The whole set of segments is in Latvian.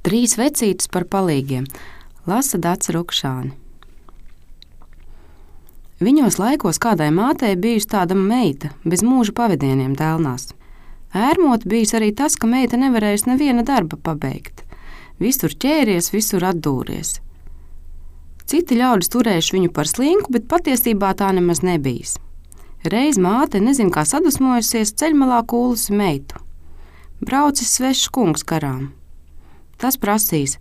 Trīs vecītes par palīgiem, lasa Dace Rukšāne. Viņos laikos kādai mātei bijusi tāda meita, bez mūža pavadieniem dēlnās. Ērmot bijis arī tas, ka meita nevarējusi neviena darba pabeigt. Visur ķēries, visur atdūries. Citi ļaudis turējuši viņu par slinku, bet patiesībā tā nemaz nebijis. Reiz māte, nezin kā sadusmojusies, ceļmalā kūlusi meitu. Braucis svešs kungs garām. Tas prasīs: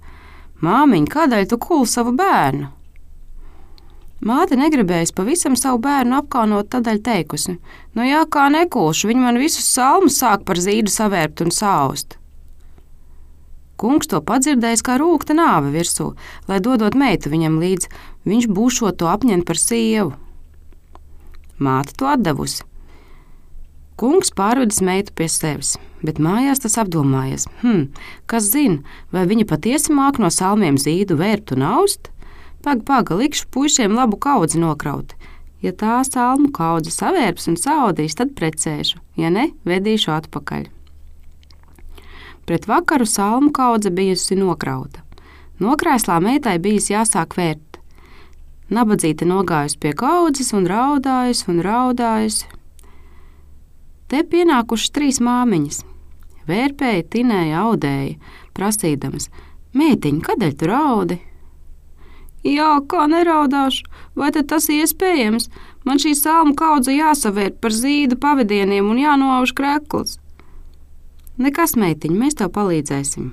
māmiņ, kādēļ tu kūli savu bērnu? Māte negribējusi pavisam savu bērnu apkaunot, tādēļ teikusi: nu jā, kā nekūšu, viņi man visus salmus sāk par zīdu savērpt un saust. Kungs to padzirdējis kā rūkta nāve virsū, lai dodot meitu viņam līdz, viņš būšot to apņemt par sievu. Māte to atdevusi. Kungs pārvedis meitu pie sevis, bet mājās tas apdomājies: kas zina, vai viņa patiesi māk no salmiem zīdu vērpt un aust? Paga, likšu puišiem labu kaudzi nokraut. Ja tā salmu kaudzi savērps un saudīs, tad precēšu, ja ne, vedīšu atpakaļ. Pret vakaru salmu kaudze bijusi nokrauta. Nokrēslā meitai bijis jāsāk vērt. Nabadzīte nogājusi pie kaudzes un raudājusi. Te pienākušas trīs māmiņas. Vērpēja, tinēja, audēja, prasīdamas: meitiņ, kādēļ tu raudi? Jā, kā neraudāšu, vai tad tas iespējams? Man šī salmu kaudze jāsavērt par zīdu pavadieniem un jānoauž krekls. Nekas, meitiņ, mēs tev palīdzēsim.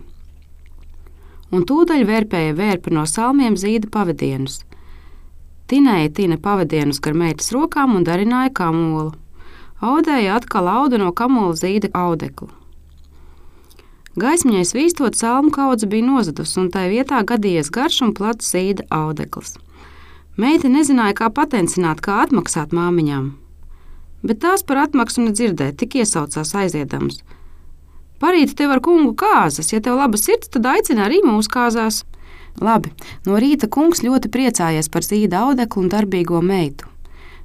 Un tūdaļ vērpēja vērpa no salmiem zīda pavadienus. Tinēja tina pavadienus gar meitas rokām un darināja kamolu. Audēja atkal auda no kamola zīda audeklu. Gaismiņai svīstot, salmu kaudze bija nozadusi, un tai vietā gadījies garš un plats zīda audekls. Meita nezināja, kā patencināt, kā atmaksāt māmiņām. Bet tās par atmaksu nedzirdēja, tik iesaucās aiziedams: parīt tev ar kungu kāzas, ja tev laba sirds, tad aicina arī mūsu kāzās. Labi, no rīta kungs ļoti priecājies par zīda audeklu un darbīgo meitu.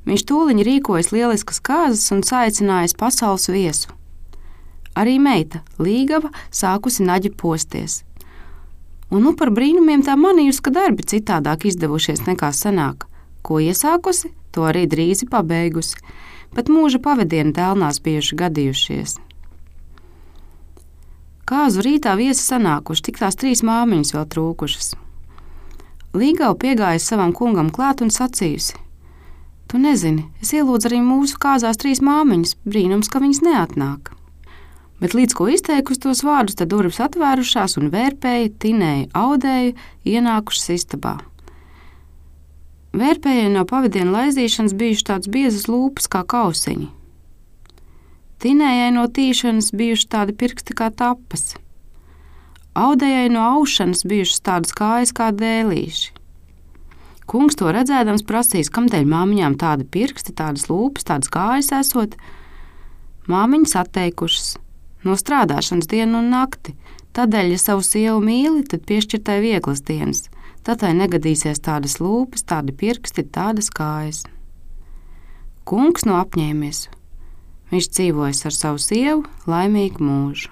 Viņš tūliņ rīkojas lieliskas kāzas un saicinājis pasaules viesu. Arī meita, līgava, sākusi naģi posties. Un nu par brīnumiem tā manījusi, ka darbi citādāk izdevušies nekā senāk. Ko iesākusi, to arī drīzi pabeigusi. Pat mūža pavadieni dēlnās bijuši gadījušies. Kāzu rītā viesi sanākuši, tik tās trīs māmiņas vēl trūkušas. Līgava piegājusi savam kungam klāt un sacījusi: tu nezini, es ielūdzu arī mūsu kāzās trīs māmiņas, brīnums, ka viņas neatnāk. Bet līdz ko izteikusi tos vārdus, tad durvis atvērušās un vērpēja, tinēja, audēja, ienākušas istabā. Vērpējai no pavadienu laizīšanas bijuši tāds biezas lūpas kā kausiņi. Tinējai no tīšanas bijuši tādi pirksti kā tapas. Audējai no aušanas bijušas tādas kājas kā dēlīši. Kungs to redzēdams prasīs, kamdēļ māmiņām tādi pirksti, tādas lūpas, tādas kājas esot. Māmiņas atteikušas no strādāšanas dienu un nakti. Tādēļ, ja savu sievu mīli, tad piešķirtai vieglas dienas. Tad tai negadīsies tādas lūpas, tādi pirksti, tādas kājas. Kungs no apņēmies. Viņš dzīvojas ar savu sievu laimīgu mūžu.